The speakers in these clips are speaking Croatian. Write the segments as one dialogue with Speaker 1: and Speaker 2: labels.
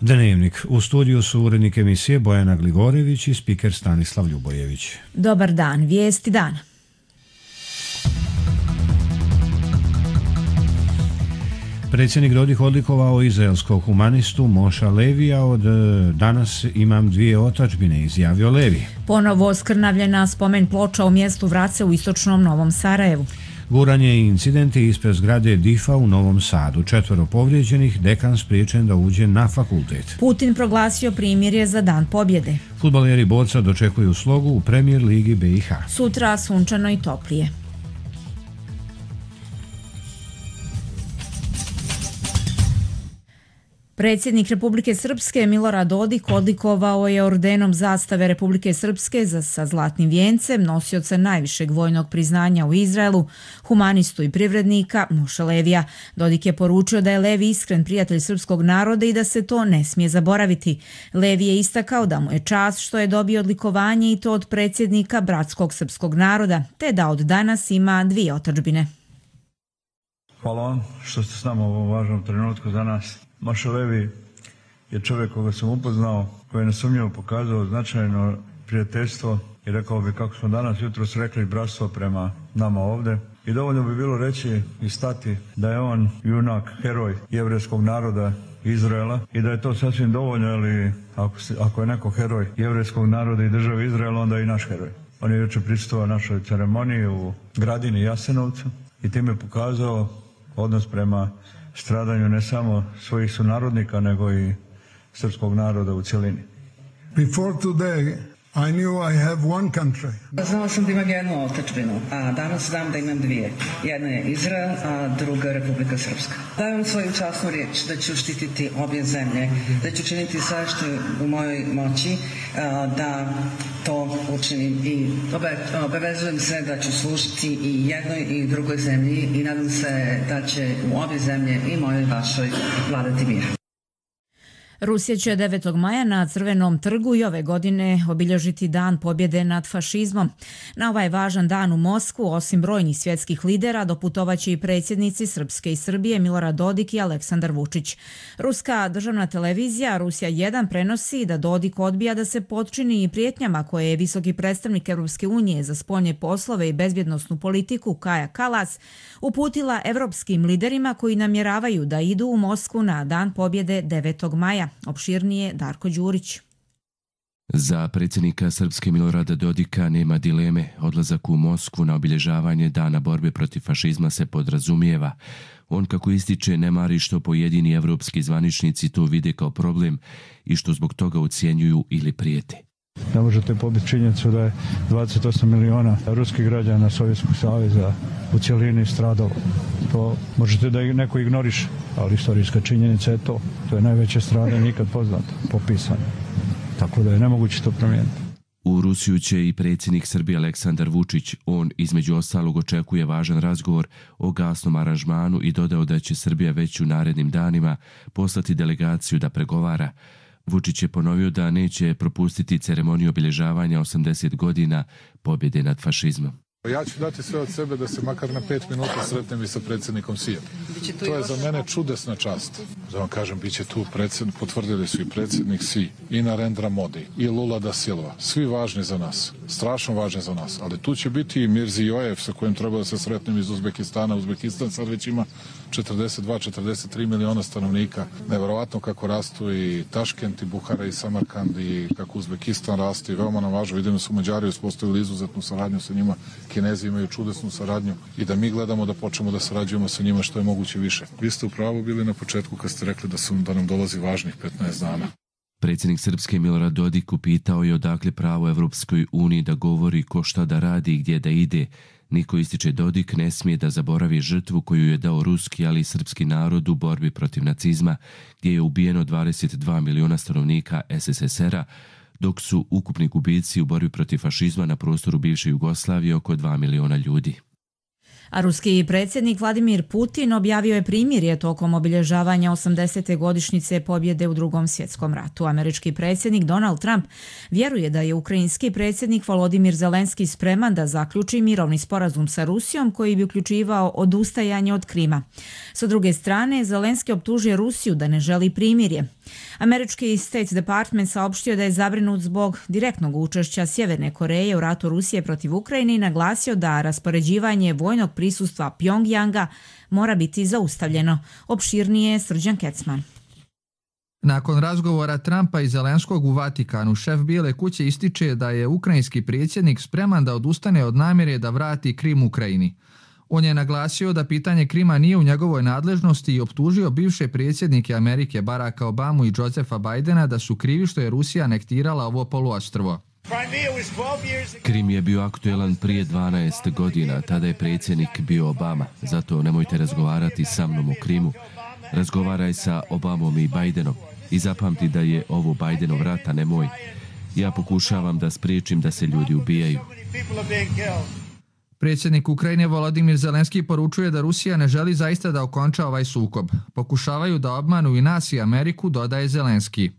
Speaker 1: Dnevnik. U studiju su urednik emisije Bojana Gligorević i spiker Stanislav Ljubojević.
Speaker 2: Dobar dan, vijesti dana.
Speaker 1: Predsjednik Dodik odlikovao izraelskog humanistu Moša Levija. Od danas imam dvije otadžbine, izjavio Levi.
Speaker 2: Ponovo skrnavljena spomen ploča u mjestu Vrace u istočnom Novom Sarajevu.
Speaker 1: Guranje i incidenti ispred zgrade DIF-a u Novom Sadu. 4 povrijeđenih, dekan spriječen da uđe na fakultet.
Speaker 2: Putin proglasio primirje za Dan pobjede.
Speaker 1: Fudbaleri Borca dočekuju slogu u Premier ligi BiH.
Speaker 2: Sutra sunčano i toplije. Predsjednik Republike Srpske Milorad Dodik odlikovao je ordenom zastave Republike Srpske sa zlatnim vijencem nosioca najvišeg vojnog priznanja u Izraelu, humanistu i privrednika Moša Levija. Dodik je poručio da je Levi iskren prijatelj srpskog naroda i da se to ne smije zaboraviti. Levi je istakao da mu je čast što je dobio odlikovanje i to od predsjednika bratskog srpskog naroda, te da od danas ima dvije otadžbine.
Speaker 3: Hvala vam što ste s nama u ovom važnom trenutku za nas. Moša Levi je čovjek koga sam upoznao, koji je nesumnjivo pokazao značajno prijateljstvo i rekao bi, kako smo danas jutros rekli, bratstvo prema nama ovdje. I dovoljno bi bilo reći i stati da je on junak, heroj jevrejskog naroda Izraela i da je to sasvim dovoljno, ali ako je neko heroj jevrejskog naroda i države Izraela, onda je i naš heroj. On je jučer prisustvovao našoj ceremoniji u Gradini Jasenovcu i time pokazao odnos prema stradanju ne samo svojih sunarodnika, nego i srpskog naroda u cjelini.
Speaker 4: Before today, I knew I have one country.
Speaker 5: Znao sam da imam jednu otadžbinu, a danas znam da imam dvije. Jedna je Izrael, a druga Republika Srpska. Dajem svoju časnu riječ da ću štititi obje zemlje, da ću činiti sve što je u mojoj moći da to učinim i obavezujem se da ću služiti i jednoj i drugoj zemlji i nadam se da će u obje zemlje i mojoj i vašoj vladati mir.
Speaker 2: Rusija će 9. maja na Crvenom trgu i ove godine obilježiti Dan pobjede nad fašizmom. Na ovaj važan dan u Moskvu, osim brojnih svjetskih lidera, doputovaće i predsjednici Srpske i Srbije Milorad Dodik i Aleksandar Vučić. Ruska državna televizija Rusija 1 prenosi da Dodik odbija da se potčini i prijetnjama koje je visoki predstavnik Europske unije za spoljne poslove i bezbjednosnu politiku Kaja Kalas uputila evropskim liderima koji namjeravaju da idu u Moskvu na Dan pobjede 9. maja. Opširnije Darko Đurić.
Speaker 6: Za predsjednika Srpske Milorada Dodika nema dileme. Odlazak u Moskvu na obilježavanje Dana borbe protiv fašizma se podrazumijeva. On, kako ističe, ne mari što pojedini evropski zvaničnici to vide kao problem i što zbog toga ucijenjuju ili prijete.
Speaker 3: Ne možete pobiti činjenicu da je 28 miliona ruskih građana Sovjetskog saveza u cjelini stradalo. To možete da neko ignoriše, ali istorijska činjenica je to. To je najveće stradanje nikad poznato, popisano. Tako da je nemoguće to promijeniti.
Speaker 6: U Rusiju će i predsjednik Srbije Aleksandar Vučić. On između ostalog očekuje važan razgovor o gasnom aranžmanu i dodao da će Srbija već u narednim danima poslati delegaciju da pregovara. Vučić je ponovio da neće propustiti ceremoniju obilježavanja 80 godina pobjede nad fašizmom.
Speaker 7: Ja ću dati sve od sebe da se makar na 5 minuta sretnem i sa predsjednikom Sijem. To je za mene čudesna čast. Da vam kažem, bit će tu potvrdili su i predsjednik Si, i Narendra Modi, i Lula da Silva. Svi važni za nas, strašno važni za nas. Ali tu će biti i Mirzijojev sa kojim treba da se sretnem iz Uzbekistana. Uzbekistan sad već ima 42-43 miliona stanovnika. Neverovatno kako rastu i Taškent, i Buhara, i Samarkand, i kako Uzbekistan raste. I veoma nam važno, vidimo su Mađari uspostavili izuzetnu saradnju sa njima. Kinezi imaju čudesnu saradnju i da mi gledamo da počnemo da sarađujemo sa njima što je moguće više. Vi ste u pravu bili na početku kad ste rekli da nam dolazi važnih 15 dana.
Speaker 6: Predsjednik Srpske Milorad Dodik upitao je odakle pravo Evropskoj uniji da govori ko šta da radi i gdje da ide. Niko, ističe Dodik, ne smije da zaboravi žrtvu koju je dao ruski, ali i srpski narod u borbi protiv nacizma, gdje je ubijeno 22 miliona stanovnika SSSR-a, dok su ukupni gubici u borbi protiv fašizma na prostoru bivše Jugoslavije oko 2 miliona ljudi.
Speaker 2: A ruski predsjednik Vladimir Putin objavio je primirje tokom obilježavanja 80. godišnjice pobjede u Drugom svjetskom ratu. Američki predsjednik Donald Trump vjeruje da je ukrajinski predsjednik Volodimir Zelenski spreman da zaključi mirovni sporazum sa Rusijom koji bi uključivao odustajanje od Krima. Sa druge strane, Zelenski optužuje Rusiju da ne želi primirje. Američki State Department saopštio da je zabrinut zbog direktnog učešća Sjeverne Koreje u ratu Rusije protiv Ukrajine i naglasio da raspoređivanje vojnog prisustva Pjongjanga mora biti zaustavljeno. Opširnije Srđan Kecman.
Speaker 8: Nakon razgovora Trumpa i Zelenskog u Vatikanu, šef Bijele kuće ističe da je ukrajinski predsjednik spreman da odustane od namjere da vrati Krim Ukrajini. On je naglasio da pitanje Krima nije u njegovoj nadležnosti i optužio bivše predsjednike Amerike Baracka Obamu i Josepha Bidena da su krivi što je Rusija anektirala ovo poluostrvo.
Speaker 6: Krim je bio aktuelan prije 12 godina, tada je predsjednik bio Obama, zato nemojte razgovarati sa mnom o Krimu. Razgovaraj sa Obamom i Bidenom i zapamti da je ovo Bidenov rat, a ne moj. Ja pokušavam da spriječim da se ljudi ubijaju.
Speaker 8: Predsjednik Ukrajine Volodymyr Zelenski poručuje da Rusija ne želi zaista da okonča ovaj sukob. Pokušavaju da obmanu i nas i Ameriku, dodaje Zelenski.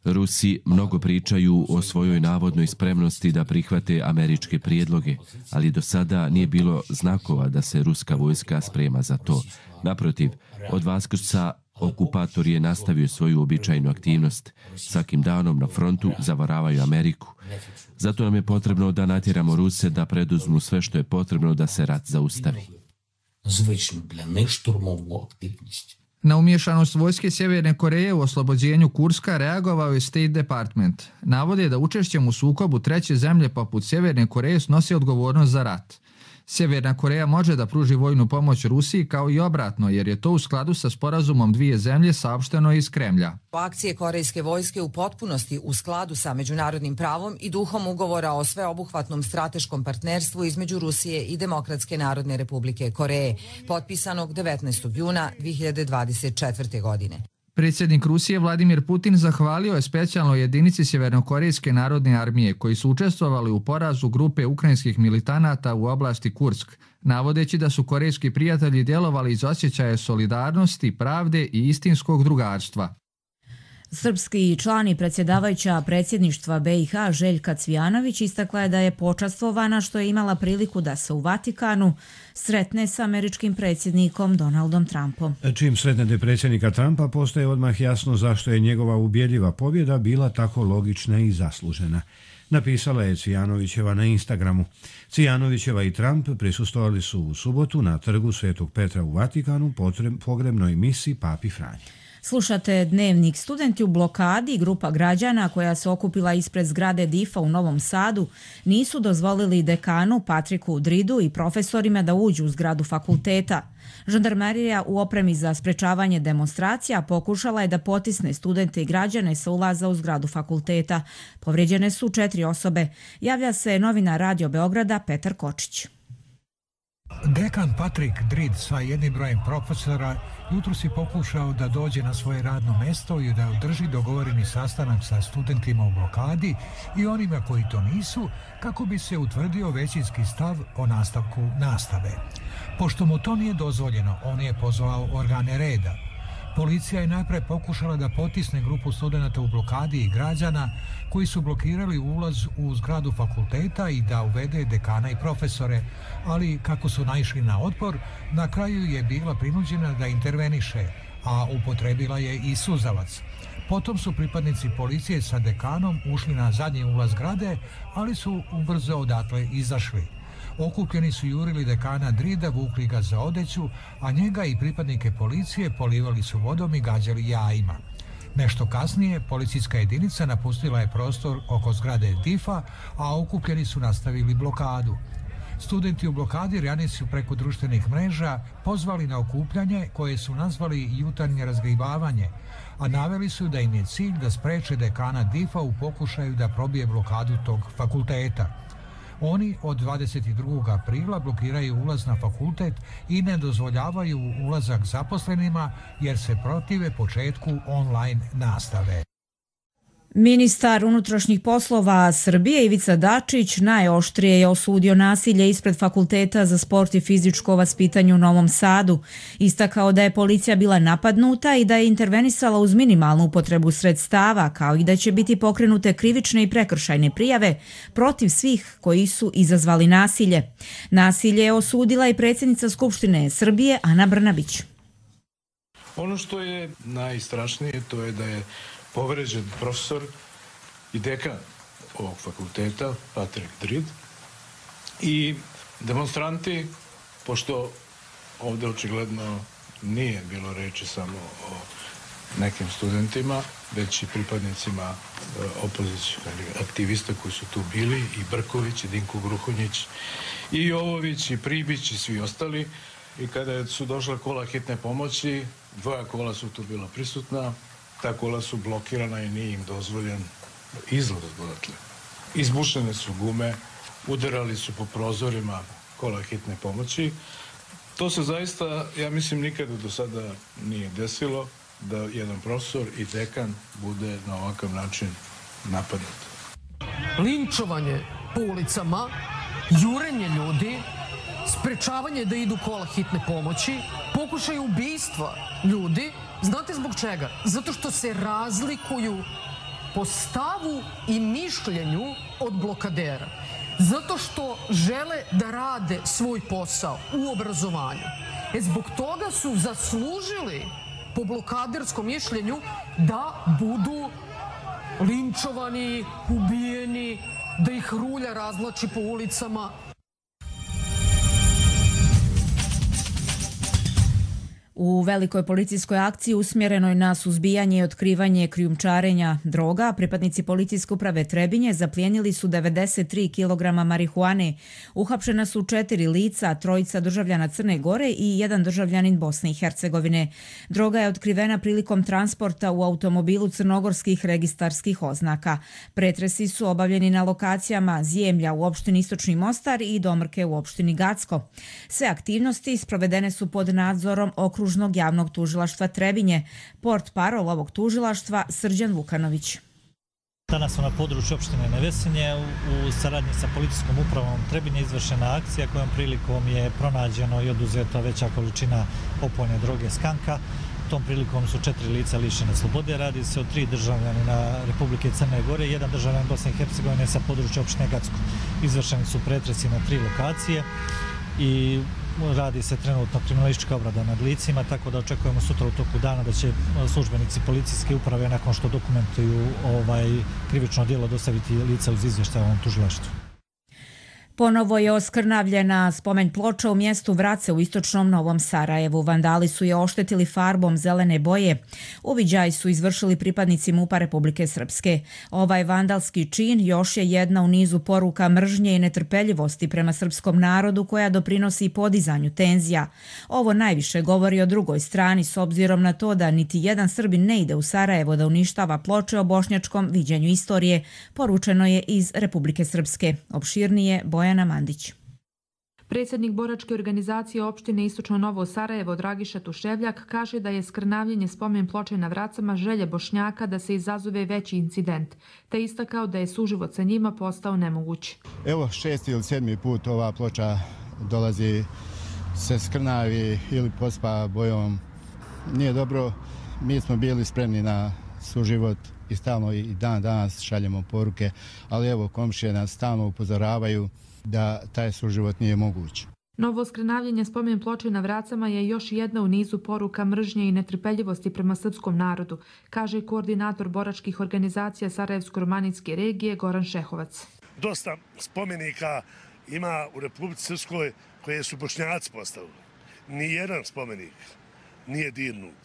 Speaker 6: Rusi mnogo pričaju o svojoj navodnoj spremnosti da prihvate američke prijedloge, ali do sada nije bilo znakova da se ruska vojska sprema za to. Naprotiv, od Vaskrsa okupator je nastavio svoju običajnu aktivnost. Svakim danom na frontu zavaravaju Ameriku. Zato nam je potrebno da natjeramo Ruse da preduzmu sve što je potrebno da se rat zaustavi.
Speaker 8: Na umješanost vojske Sjeverne Koreje u oslobođenju Kurska reagovao je State Department. Navode da učešćem u sukobu treće zemlje poput Sjeverne Koreje snosi odgovornost za rat. Sjeverna Koreja može da pruži vojnu pomoć Rusiji kao i obratno, jer je to u skladu sa sporazumom dvije zemlje, saopšteno iz Kremlja.
Speaker 9: Akcije korejske vojske u potpunosti u skladu sa međunarodnim pravom i duhom ugovora o sveobuhvatnom strateškom partnerstvu između Rusije i Demokratske narodne republike Koreje, potpisanog 19. juna 2024. godine.
Speaker 8: Predsjednik Rusije Vladimir Putin zahvalio je specijalnoj jedinici Sjevernokorejske narodne armije koji su učestvovali u porazu grupe ukrajinskih militanata u oblasti Kursk, navodeći da su korejski prijatelji djelovali iz osjećaja solidarnosti, pravde i istinskog drugarstva.
Speaker 2: Srpski član i predsjedavajuća predsjedništva BiH Željka Cvijanović istakla je da je počastvovana što je imala priliku da se u Vatikanu sretne sa američkim predsjednikom Donaldom Trumpom.
Speaker 1: Čim sretnete predsjednika Trumpa, postaje odmah jasno zašto je njegova ubjedljiva pobjeda bila tako logična i zaslužena. Napisala je Cvijanovićeva na Instagramu. Cvijanovićeva i Trump prisustvovali su u subotu na trgu Svetog Petra u Vatikanu pogrebnoj misi Papi Franji.
Speaker 2: Slušate Dnevnik. Studenti u blokadi, grupa građana koja se okupila ispred zgrade DIF-a u Novom Sadu, nisu dozvolili dekanu Patriku Dridu i profesorima da uđu u zgradu fakulteta. Žandarmerija u opremi za sprečavanje demonstracija pokušala je da potisne studente i građane sa ulaza u zgradu fakulteta. Povrijeđene su 4 osobe. Javlja se novinar Radio Beograda Petar Kočić.
Speaker 10: Dekan Patrik Drid sa jednim brojem profesora jutros je pokušao da dođe na svoje radno mjesto i da održi dogovoreni sastanak sa studentima u blokadi i onima koji to nisu, kako bi se utvrdio većinski stav o nastavku nastave. Pošto mu to nije dozvoljeno, on je pozvao organe reda. Policija je najprije pokušala da potisne grupu studenata u blokadi i građana koji su blokirali ulaz u zgradu fakulteta i da uvede dekana i profesore, ali kako su naišli na otpor, na kraju je bila prinuđena da interveniše, a upotrebila je i suzavac. Potom su pripadnici policije sa dekanom ušli na zadnji ulaz zgrade, ali su ubrzo odatle izašli. Okupljeni su jurili dekana Drida, vukli ga za odeću, a njega i pripadnike policije polivali su vodom i gađali jajima. Nešto kasnije, policijska jedinica napustila je prostor oko zgrade DIF-a, a okupljeni su nastavili blokadu. Studenti u blokadi ranije su preko društvenih mreža pozvali na okupljanje koje su nazvali jutarnje razgribavanje, a naveli su da im je cilj da spreče dekana DIF-a u pokušaju da probije blokadu tog fakulteta. Oni od 22. aprila blokiraju ulaz na fakultet i ne dozvoljavaju ulazak zaposlenima jer se protive početku online nastave.
Speaker 2: Ministar unutrašnjih poslova Srbije Ivica Dačić najoštrije je osudio nasilje ispred Fakulteta za sport i fizičko vaspitanje u Novom Sadu. Istakao da je policija bila napadnuta i da je intervenisala uz minimalnu upotrebu sredstava, kao i da će biti pokrenute krivične i prekršajne prijave protiv svih koji su izazvali nasilje. Nasilje je osudila i predsjednica Skupštine Srbije Ana Brnabić.
Speaker 7: Ono što je najstrašnije to je da je povređen profesor i dekan ovog fakulteta, Patrick Drid, i demonstranti, pošto ovdje očigledno nije bilo reči samo o nekim studentima, već i pripadnicima opozicijskih aktivista koji su tu bili, i Brković, i Dinko Gruhonjić, i Jovović, i Pribić, i svi ostali. I kada su došla kola hitne pomoći, 2 kola su tu bila prisutna, ta kola su blokirana i nije im dozvoljen izlaz odatle. Izbušene su gume, udarali su po prozorima kola hitne pomoći. To se zaista, ja mislim, nikada do sada nije desilo da jedan profesor i dekan bude na ovakav način napadnut.
Speaker 11: Linčovanje po ulicama, jurenje ljudi, sprečavanje da idu kola hitne pomoći, pokušaj ubistva ljudi. Znate zbog čega? Zato što se razlikuju po stavu i mišljenju od blokadera. Zato što žele da rade svoj posao u obrazovanju. Zbog toga su zaslužili po blokaderskom mišljenju da budu linčovani, ubijeni, da ih rulja razvlači po ulicama.
Speaker 2: U velikoj policijskoj akciji usmjerenoj na suzbijanje i otkrivanje krijumčarenja droga, pripadnici policijske uprave Trebinje zaplijenili su 93 kg marihuane. Uhapšena su 4 lica, 3 državljana Crne Gore i 1 državljanin Bosne i Hercegovine. Droga je otkrivena prilikom transporta u automobilu crnogorskih registarskih oznaka. Pretresi su obavljeni na lokacijama Zjemlja u opštini Istočni Mostar i Domrke u opštini Gacko. Sve aktivnosti sprovedene su pod nadzorom Okružnog javnog tužilaštva Trebinje. Portparol ovog tužilaštva Srđan Vukanović.
Speaker 12: Danas smo na području opštine Nevesinje u saradnji sa policijskom upravom Trebinje izvršena akcija kojom prilikom je pronađeno i oduzeta veća količina opojne droge skanka. Tom prilikom su 4 lica lišene slobode. Radi se o 3 državljanina Republike Crne Gore i 1 državljanin Bosne i Hercegovine sa područja opštine Gacko. Izvršeni su pretresi na 3 lokacije i radi se trenutno kriminalistička obrada nad licima, tako da očekujemo sutra u toku dana da će službenici policijske uprave nakon što dokumentuju krivično djelo dostaviti lica uz izvještaj ovom tužilaštvu.
Speaker 2: Ponovo je oskrnavljena spomen ploča u mjestu Vrace u istočnom Novom Sarajevu. Vandali su je oštetili farbom zelene boje. Uviđaj su izvršili pripadnici MUP-a Republike Srpske. Ovaj vandalski čin još je jedna u nizu poruka mržnje i netrpeljivosti prema srpskom narodu koja doprinosi podizanju tenzija. Ovo najviše govori o drugoj strani s obzirom na to da niti jedan Srbin ne ide u Sarajevo da uništava ploče o bošnjačkom viđenju istorije, poručeno je iz Republike Srpske. Opširnije Bojana Mandić.
Speaker 13: Predsjednik boračke organizacije opštine Istočno Novo Sarajevo Dragiša Tuševljak kaže da je skrnavljenje spomen ploče na Vracama želje Bošnjaka da se izazove veći incident, te istakao da je suživot sa njima postao nemoguć.
Speaker 14: Evo 6. ili 7. put ova ploča dolazi, se skrnavi ili pospa bojom. Nije dobro, mi smo bili spremni na suživot i stalno i dan danas šaljemo poruke, ali evo komšije nas stalno upozoravaju da taj suživot nije moguć.
Speaker 13: Novo skrnavljenje spomen ploče na Vracama je još jedna u nizu poruka mržnje i netrpeljivosti prema srpskom narodu, kaže koordinator boračkih organizacija Sarajevsko-romanijske regije Goran Šehovac.
Speaker 15: Dosta spomenika ima u Republici Srpskoj koje su Bošnjaci postavili. Nijedan spomenik nije dirnut.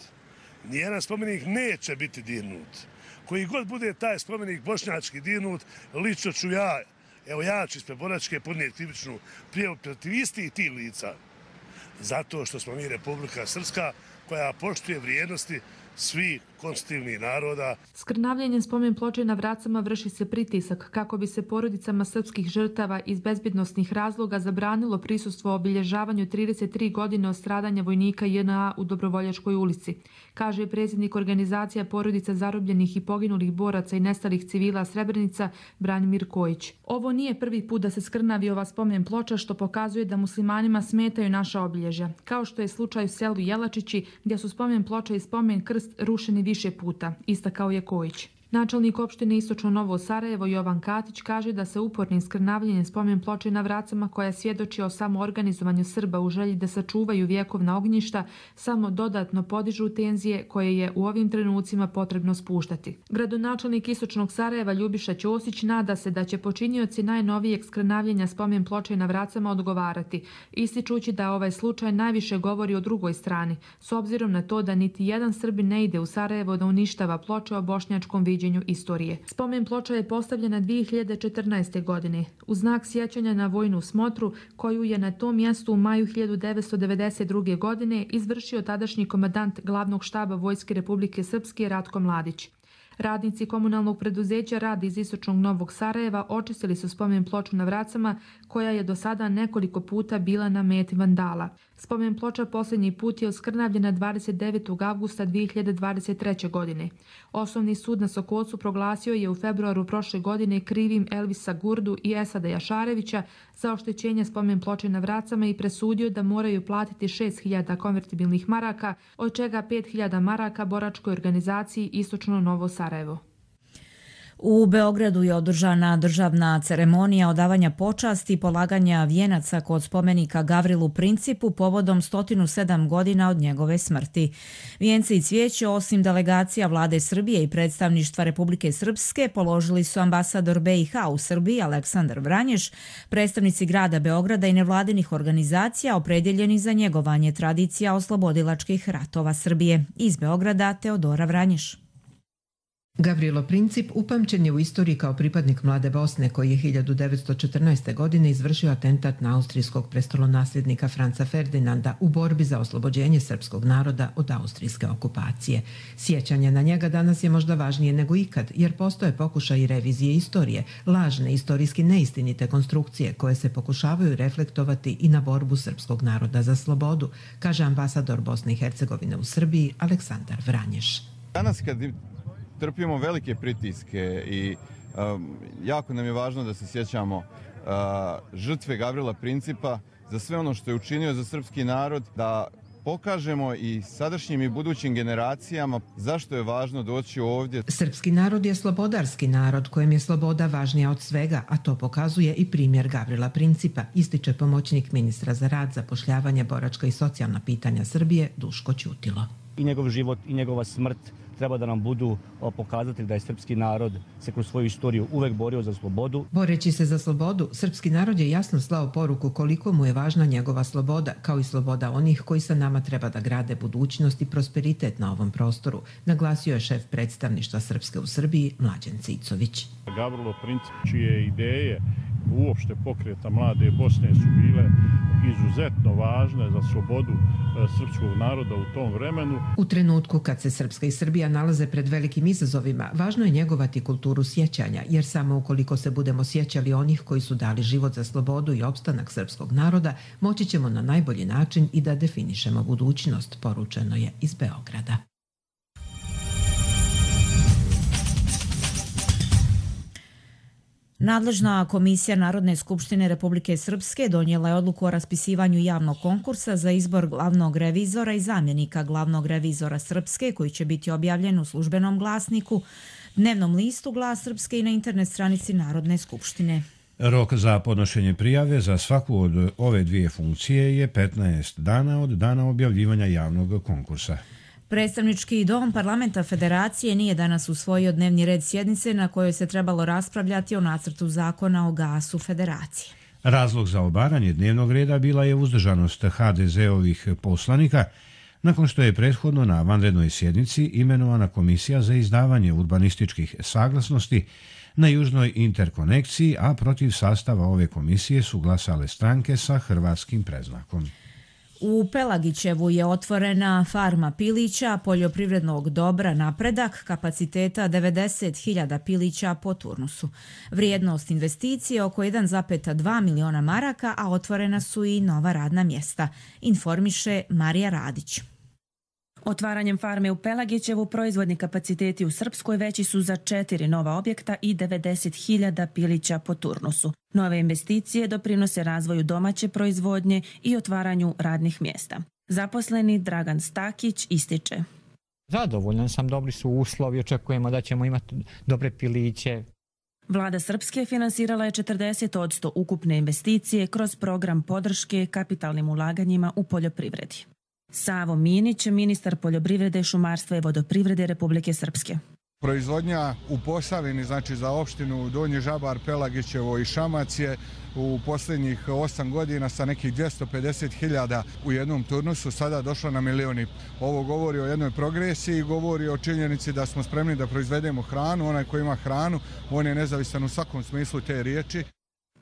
Speaker 15: Nijedan spomenik neće biti dirnut. Koji god bude taj spomenik bošnjački dirnut, lično ću ja ću ispred boračke podnijeti krivičnu prijavu protiv istih tih lica. Zato što smo mi Republika Srpska koja poštuje vrijednosti svih konstitutivnih naroda.
Speaker 13: Skrnavljenjem spomen ploče na Vracama vrši se pritisak kako bi se porodicama srpskih žrtava iz bezbednosnih razloga zabranilo prisustvo obilježavanju 33 godine od stradanja vojnika JNA u Dobrovoljačkoj ulici, kaže predsjednik organizacija porodica zarobljenih i poginulih boraca i nestalih civila Srebrenica Branimir Kojić. Ovo nije prvi put da se skrnavi ova spomen ploča, što pokazuje da muslimanima smetaju naša obilježja, kao što je slučaj u selu Jelačići gdje su spomen ploča i spomen krst rušeni više puta, istakao je Kojić. Načelnik opštine Istočno Novo Sarajevo Jovan Katić kaže da se upornim skrnavljenjem spomen ploče na Vracama, koja svjedoči o samoorganizovanju Srba u želji da sačuvaju vjekovna ognjišta, samo dodatno podižu tenzije koje je u ovim trenucima potrebno spuštati. Gradonačelnik Istočnog Sarajeva Ljubiša Ćosić nada se da će počinioci najnovijeg skrnavljenja spomen ploče na Vracama odgovarati, ističući da ovaj slučaj najviše govori o drugoj strani, s obzirom na to da niti jedan Srbin ne ide u Sarajevo da uništava ploče o bošnjačkom viđenju istorije. Spomen ploča je postavljena 2014. godine u znak sjećanja na vojnu smotru koju je na tom mjestu u maju 1992. godine izvršio tadašnji komandant glavnog štaba Vojske Republike Srpske Ratko Mladić. Radnici komunalnog preduzeća Rad iz Istočnog Novog Sarajeva očistili su spomen ploču na Vracama, koja je do sada nekoliko puta bila na meti vandala. Spomen ploča posljednji put je oskrnavljena 29. avgusta 2023. godine. Osnovni sud na Sokolcu proglasio je u februaru prošle godine krivim Elvisa Gurdu i Esada Jašarevića za oštećenje spomen ploče na Vracama i presudio da moraju platiti 6.000 konvertibilnih maraka, od čega 5.000 maraka boračkoj organizaciji Istočno Novo Sarajevo.
Speaker 2: U Beogradu je održana državna ceremonija odavanja počasti i polaganja vijenaca kod spomenika Gavrilu Principu povodom 107 godina od njegove smrti. Vijenci i cvijeće, osim delegacija Vlade Srbije i predstavništva Republike Srpske, položili su ambasador BiH u Srbiji Aleksandar Vranješ, predstavnici grada Beograda i nevladinih organizacija opredjeljeni za njegovanje tradicija oslobodilačkih ratova Srbije. Iz Beograda Teodora Vranješ.
Speaker 16: Gavrilo Princip upamćen je u istoriji kao pripadnik Mlade Bosne koji je 1914. godine izvršio atentat na austrijskog prestolonasljednika Franca Ferdinanda u borbi za oslobođenje srpskog naroda od austrijske okupacije. Sjećanje na njega danas je možda važnije nego ikad, jer postoje pokušaj revizije istorije, lažne istorijski neistinite konstrukcije koje se pokušavaju reflektovati i na borbu srpskog naroda za slobodu, kaže ambasador Bosne i Hercegovine u Srbiji Aleksandar Vranješ.
Speaker 17: Danas kad trpimo velike pritiske i jako nam je važno da se sjećamo žrtve Gavrila Principa za sve ono što je učinio za srpski narod, da pokažemo i sadašnjim i budućim generacijama zašto je važno doći ovdje.
Speaker 16: Srpski narod je slobodarski narod kojem je sloboda važnija od svega, a to pokazuje i primjer Gavrila Principa, ističe pomoćnik ministra za rad, zapošljavanje, boračka i socijalna pitanja Srbije Duško Ćutilo.
Speaker 18: I njegov život i njegova smrt treba da nam budu pokazatelj da je srpski narod se kroz svoju istoriju uvek borio za slobodu.
Speaker 16: Boreći se za slobodu, srpski narod je jasno slao poruku koliko mu je važna njegova sloboda, kao i sloboda onih koji sa nama treba da grade budućnost i prosperitet na ovom prostoru, naglasio je šef predstavništva Srpske u Srbiji Mlađan Cicović.
Speaker 19: Gavrilo Princip, čije ideje uopšte pokreta Mlade Bosne su bile izuzetno važne za slobodu srpskog naroda u tom vremenu.
Speaker 16: U trenutku kad se Srpska i Srbija nalaze pred velikim izazovima, važno je njegovati kulturu sjećanja, jer samo ukoliko se budemo sjećali onih koji su dali život za slobodu i opstanak srpskog naroda, moći ćemo na najbolji način i da definišemo budućnost, poručeno je iz Beograda.
Speaker 2: Nadležna komisija Narodne skupštine Republike Srpske donijela je odluku o raspisivanju javnog konkursa za izbor glavnog revizora i zamjenika glavnog revizora Srpske, koji će biti objavljen u službenom glasniku, dnevnom listu Glas Srpske i na internet stranici Narodne skupštine.
Speaker 1: Rok za podnošenje prijave za svaku od ove dvije funkcije je 15 dana od dana objavljivanja javnog konkursa.
Speaker 2: Predstavnički dom Parlamenta Federacije nije danas usvojio dnevni red sjednice na kojoj se trebalo raspravljati o nacrtu zakona o gasu Federacije.
Speaker 1: Razlog za obaranje dnevnog reda bila je uzdržanost HDZ-ovih poslanika, nakon što je prethodno na vanrednoj sjednici imenovana komisija za izdavanje urbanističkih saglasnosti na južnoj interkonekciji, a protiv sastava ove komisije su glasale stranke sa hrvatskim predznakom.
Speaker 2: U Pelagićevu je otvorena farma pilića, poljoprivrednog dobra Napredak, kapaciteta 90.000 pilića po turnusu. Vrijednost investicije oko 1,2 miliona maraka, a otvorena su i nova radna mjesta, informiše Marija Radić.
Speaker 20: Otvaranjem farme u Pelagićevu proizvodni kapaciteti u Srpskoj veći su za 4 nova objekta i 90.000 pilića po turnusu. Nove investicije doprinose razvoju domaće proizvodnje i otvaranju radnih mjesta. Zaposleni Dragan Stakić ističe.
Speaker 21: Zadovoljan sam, dobri su uslovi, očekujemo da ćemo imati dobre piliće.
Speaker 20: Vlada Srpske finansirala je 40% ukupne investicije kroz program podrške kapitalnim ulaganjima u poljoprivredi. Savo Minić, ministar poljoprivrede, šumarstva i vodoprivrede Republike Srpske.
Speaker 22: Proizvodnja u Posavini, znači za opštinu Donji Žabar, Pelagićevo i Šamac je u posljednjih 8 godina sa nekih 250.000 u jednom turnusu sada došla na milioni. Ovo govori o jednoj progresiji, govori o činjenici da smo spremni da proizvedemo hranu. Onaj koji ima hranu, on je nezavisan u svakom smislu te riječi.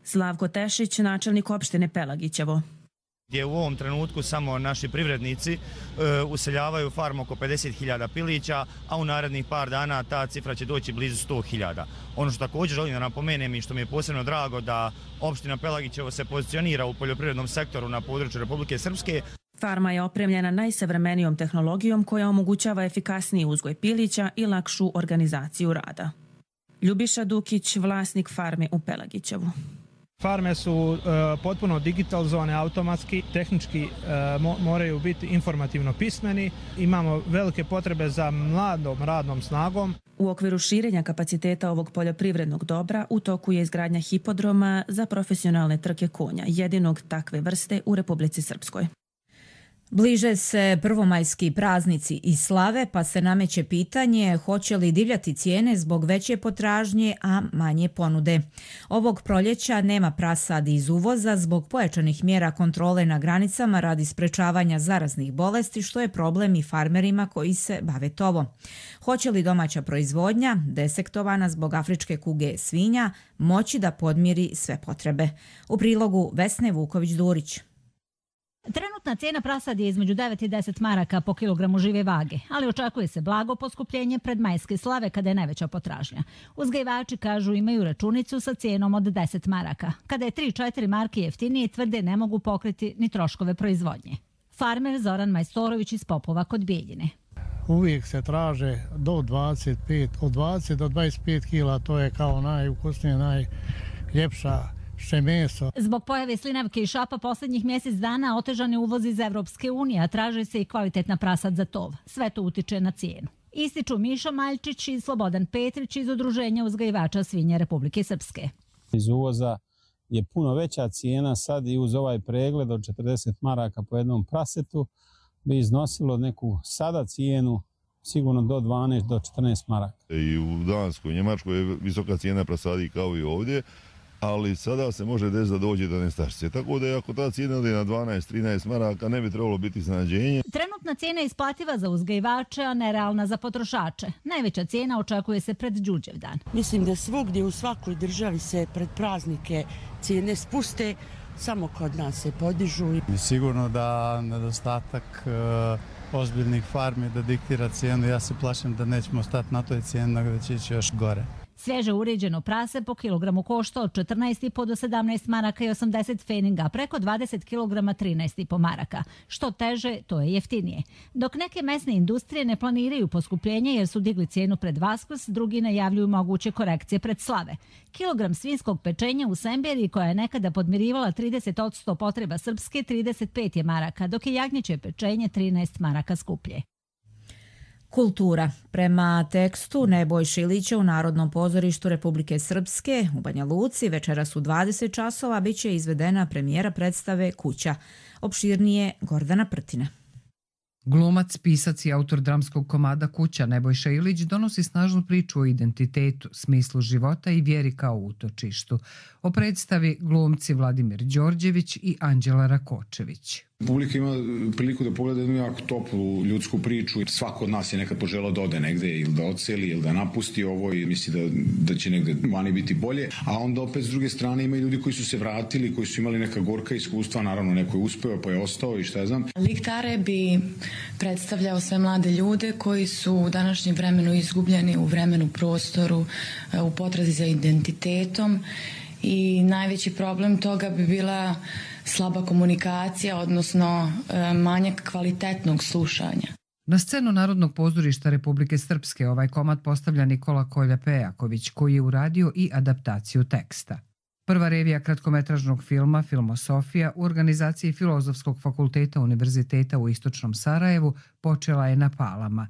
Speaker 20: Slavko Tešić, načelnik opštine Pelagićevo.
Speaker 23: Gdje u ovom trenutku samo naši privrednici useljavaju farmu oko 50.000 pilića, a u narednih par dana ta cifra će doći blizu 100.000. Ono što također želim da napomenem i što mi je posebno drago da opština Pelagićevo se pozicionira u poljoprivrednom sektoru na području Republike Srpske.
Speaker 20: Farma je opremljena najsavremenijom tehnologijom koja omogućava efikasniji uzgoj pilića i lakšu organizaciju rada. Ljubiša Dukić, vlasnik farme u Pelagićevu.
Speaker 24: Farme su potpuno digitalizovane, automatski, tehnički moraju biti informativno pismeni. Imamo velike potrebe za mladom radnom snagom.
Speaker 20: U okviru širenja kapaciteta ovog poljoprivrednog dobra u toku je izgradnja hipodroma za profesionalne trke konja, jedinog takve vrste u Republici Srpskoj.
Speaker 2: Bliže se prvomajski praznici i slave, pa se nameće pitanje hoće li divljati cijene zbog veće potražnje, a manje ponude. Ovog proljeća nema prasadi iz uvoza zbog pojačanih mjera kontrole na granicama radi sprečavanja zaraznih bolesti, što je problem i farmerima koji se bave tovom. Hoće li domaća proizvodnja, desektovana zbog afričke kuge svinja, moći da podmiri sve potrebe? U prilogu Vesne Vuković-Durić.
Speaker 25: Trenutna cijena prasadi je između 9 i 10 maraka po kilogramu žive vage, ali očekuje se blago poskupljenje pred majske slave kada je najveća potražnja. Uzgajivači kažu imaju računicu sa cijenom od 10 maraka. Kada je 3-4 marke jeftinije, tvrde ne mogu pokriti ni troškove proizvodnje. Farmer Zoran Majstorović iz Popova kod Bijeljine.
Speaker 26: Uvijek se traže do 25, od 20 do 25 kila, to je kao najukusnije, najljepša meso.
Speaker 25: Zbog pojave slinavke i šapa posljednjih mjesec dana otežan je uvoz iz Evropske unije, a traže se i kvalitetna prasad za tov. Sve to utiče na cijenu. Ističu Miša Maljčić i Slobodan Petrić iz Udruženja uzgajivača svinja Republike Srpske.
Speaker 27: Iz uvoza je puno veća cijena sad i uz ovaj pregled od 40 maraka po jednom prasetu bi iznosilo neku sada cijenu sigurno do 12 do 14 maraka.
Speaker 28: I u Danskoj, Njemačkoj je visoka cijena prasadi kao i ovdje, ali sada se može desiti da dođe do nestašice. Tako da ako ta cijena ode na 12-13 maraka, ne bi trebalo biti iznenađenje.
Speaker 25: Trenutna cijena je isplativa za uzgajivače, a nerealna za potrošače. Najveća cijena očekuje se pred Đurđevdan.
Speaker 29: Mislim da svugdje u svakoj državi se pred praznike cijene spuste, samo kod nas se podižu.
Speaker 30: Sigurno da nedostatak ozbiljnih farmi da diktira cijenu, ja se plašim da nećemo stati na toj cijeni, nego da će ići još gore.
Speaker 25: Svježe uređeno prase po kilogramu košta od 14,5 do 17 maraka i 80 feninga, preko 20 kg 13,5 maraka. Što teže, to je jeftinije. Dok neke mesne industrije ne planiraju poskupljenje jer su digli cijenu pred Vaskrs, drugi najavljuju moguće korekcije pred slave. Kilogram svinjskog pečenja u Semberiji, koja je nekada podmirivala 30% potreba Srpske, 35 je maraka, dok je jagnjeće pečenje 13 maraka skuplje.
Speaker 2: Kultura. Prema tekstu Nebojše Ilića u Narodnom pozorištu Republike Srpske u Banja Luci večeras u 20 časova biće izvedena premijera predstave Kuća. Opširnije Gordana Prtina.
Speaker 31: Glumac, pisac i autor dramskog komada Kuća Nebojša Ilić donosi snažnu priču o identitetu, smislu života i vjeri kao utočištu. O predstavi glumci Vladimir Đorđević i Anđela Rakočević.
Speaker 32: Publika ima priliku da pogleda jednu jako toplu ljudsku priču. Svako od nas je nekad poželao da ode negde ili da odseli ili da napusti ovo i misli da će negde vani biti bolje. A onda opet s druge strane ima i ljudi koji su se vratili, koji su imali neka gorka iskustva, naravno neko je uspeo pa je ostao i šta ja znam.
Speaker 33: Lik Tare bi predstavljao sve mlade ljude koji su u današnjem vremenu izgubljeni u vremenu, prostoru, u potrazi za identitetom i najveći problem toga bi bila slaba komunikacija, odnosno manjak kvalitetnog slušanja.
Speaker 31: Na scenu Narodnog pozorišta Republike Srpske ovaj komad postavlja Nikola Kolja-Pejaković, koji je uradio i adaptaciju teksta. Prva revija kratkometražnog filma Filmosofija u organizaciji Filozofskog fakulteta Univerziteta u Istočnom Sarajevu počela je na Palama.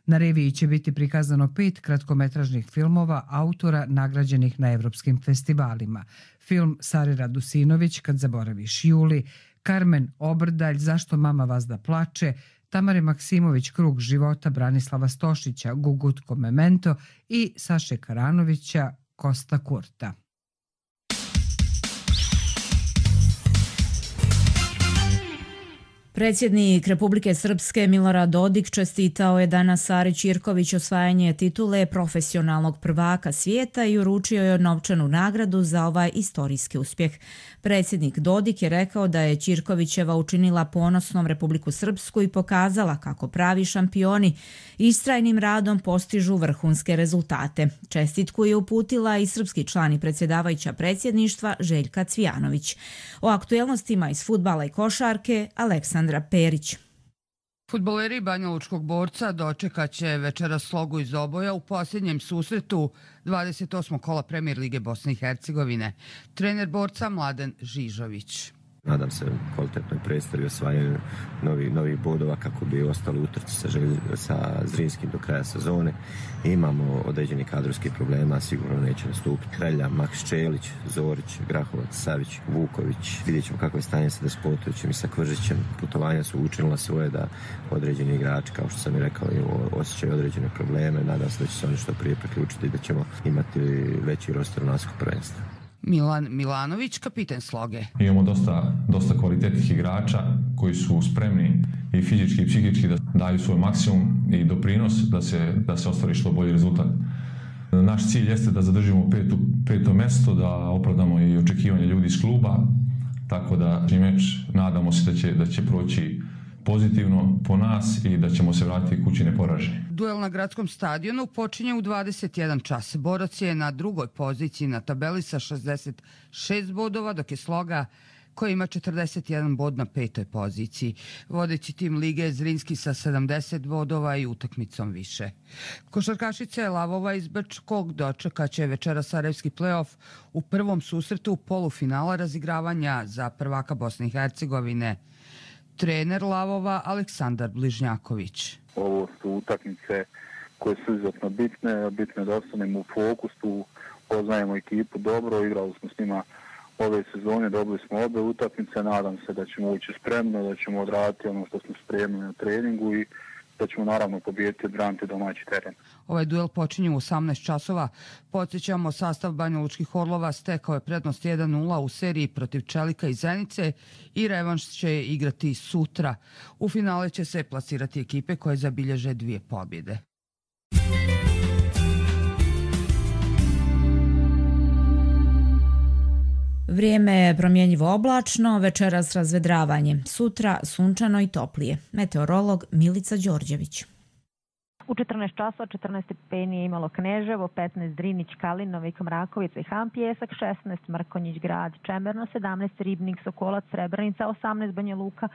Speaker 31: Na reviji će biti prikazano 5 kratkometražnih filmova autora nagrađenih na evropskim festivalima. Film Sare Radusinović, Kad zaboraviš Juli, Karmen Obrdalj, Zašto mama vazda plače, Tamare Maksimović, Krug života, Branislava Stošića, Gugutko Memento i Saše Karanovića, Kosta Kurta.
Speaker 2: Predsjednik Republike Srpske Milorad Dodik čestitao je danas Sari Ćirković osvajanje titule profesionalnog prvaka svijeta i uručio joj novčanu nagradu za ovaj istorijski uspjeh. Predsjednik Dodik je rekao da je Ćirkovićeva učinila ponosnom Republiku Srpsku i pokazala kako pravi šampioni istrajnim radom postižu vrhunske rezultate. Čestitku je uputila i srpski član i predsjedavajuća predsjedništva Željka Cvijanović. O aktuelnostima iz fudbala i košarke Aleksandra Perić.
Speaker 3: Fudbaleri Banjalučkog Borca dočekat će večeras Slogu iz Oboja u posljednjem susretu 28. kola Premijer Lige Bosne i Hercegovine. Trener Borca Mladen Žižović.
Speaker 4: Nadam se kvalitetnoj predstavi osvajanju novih bodova kako bi ostali utrci sa Zrinskim do kraja sezone. Imamo određeni kadrovski problema, sigurno neće nastupiti Hrelja, Maks Čelić, Zorić, Grahovac, Savić, Vuković. Vidjet ćemo kako je stanje sa Despotovićem i sa Kvržićem. Putovanja su učinila svoje da određeni igrači, kao što sam i rekao, osjećaju određene probleme. Nadam se da će se oni što prije priključiti i da ćemo imati veći roster naskog prvenstva.
Speaker 3: Milan Milanović, kapiten Sloge.
Speaker 5: Imamo dosta kvalitetnih igrača koji su spremni i fizički i psihički da daju svoj maksimum i doprinos da se ostvari što bolji rezultat. Naš cilj jeste da zadržimo peto mesto, da opravdamo i očekivanje ljudi iz kluba, tako da meč nadamo se da će proći pozitivno po nas i da ćemo se vratiti kući neporaženi.
Speaker 3: Duel na gradskom stadionu počinje u 21 čas. Borac je na drugoj poziciji na tabeli sa 66 bodova, dok je Sloga koja ima 41 bod na 5. poziciji. Vodeći tim lige je Zrinski sa 70 bodova i utakmicom više. Košarkašice Lavova iz Brčkog dočekaće večera Sarajevski play-off u prvom susretu polufinala razigravanja za prvaka Bosne i Hercegovine. Trener Lavova Aleksandar Bližnjaković.
Speaker 6: Ovo su utakmice koje su izuzetno bitne. Bitno je da ostanemo u fokusu, poznajemo ekipu dobro, igrali smo s njima ove sezone, dobili smo obe utakmice. Nadam se da ćemo ući spremno, da ćemo odraditi ono što smo spremili na treningu i da ćemo naravno pobijediti i odbraniti domaći teren.
Speaker 3: Ovaj duel počinje u 18 časova. Podsjećamo, sastav Banjalučkih Orlova stekao je prednost 1-0 u seriji protiv Čelika i Zenice i revanš će igrati sutra. U finale će se plasirati ekipe koje zabilježe 2 pobjede.
Speaker 2: Vrijeme je promjenjivo oblačno, večeras razvedravanje, sutra sunčano i toplije. Meteorolog Milica Đorđević.
Speaker 7: U 14 časova 14 stepeni je imalo Kneževo, 15 Drinić, Kalinovik, Mrakovica i Ham Pjesak, 16 Mrkonjić Grad, Čemerno, 17 Ribnik, Sokolac, Srebrenica, 18 Banja Luka,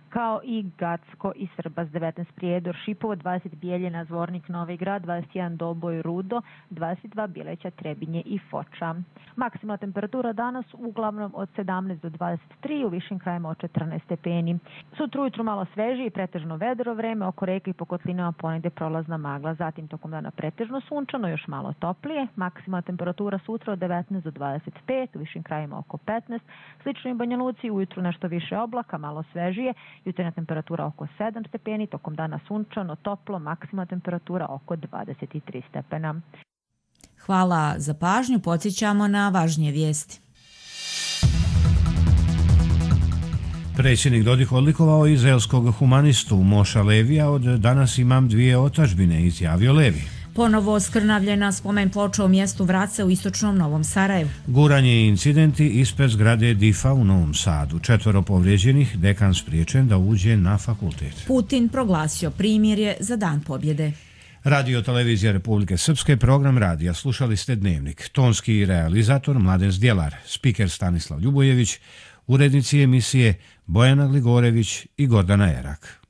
Speaker 7: kao i Gacko i Srbas, 19 Prijedor, Šipovo, 20 Bijeljina, Zvornik, Novi Grad, 21 Doboj, Rudo, 22 Bileća, Trebinje i Foča. Maksimalna temperatura danas uglavnom od 17 do 23, u višim krajima od 14 stepeni. Sutra ujutru malo svežije i pretežno vedro vreme, oko reke i po kotlinama ponegde prolazna magla, zatim tokom dana pretežno sunčano, još malo toplije. Maksimalna temperatura sutra od 19 do 25, u višim krajima oko 15, slično i Banja Luci, ujutru nešto više oblaka, malo svežije, jutarnja temperatura oko 7 stepeni, tokom dana sunčano, toplo, maksimalna temperatura oko 23 stepena.
Speaker 2: Hvala za pažnju, podsjećamo na važnije vijesti.
Speaker 1: Predsjednik Dodik odlikovao izraelskog humanistu Moša Levija, od danas imam 2 otadžbine, izjavio Levi.
Speaker 2: Ponovo skrnavljena spomen ploča u mjestu Vrace u istočnom Novom Sarajevu.
Speaker 1: Guranje i incidenti ispred zgrade DIF-a u Novom Sadu. 4 povrijeđenih, dekan spriječen da uđe na fakultet.
Speaker 2: Putin proglasio primirje za Dan pobjede.
Speaker 1: Radio Televizija Republike Srpske, program radija. Slušali ste Dnevnik. Tonski realizator Mladen Zdjelar, spiker Stanislav Ljubojević, urednici emisije Bojana Gligorević i Gordana Erak.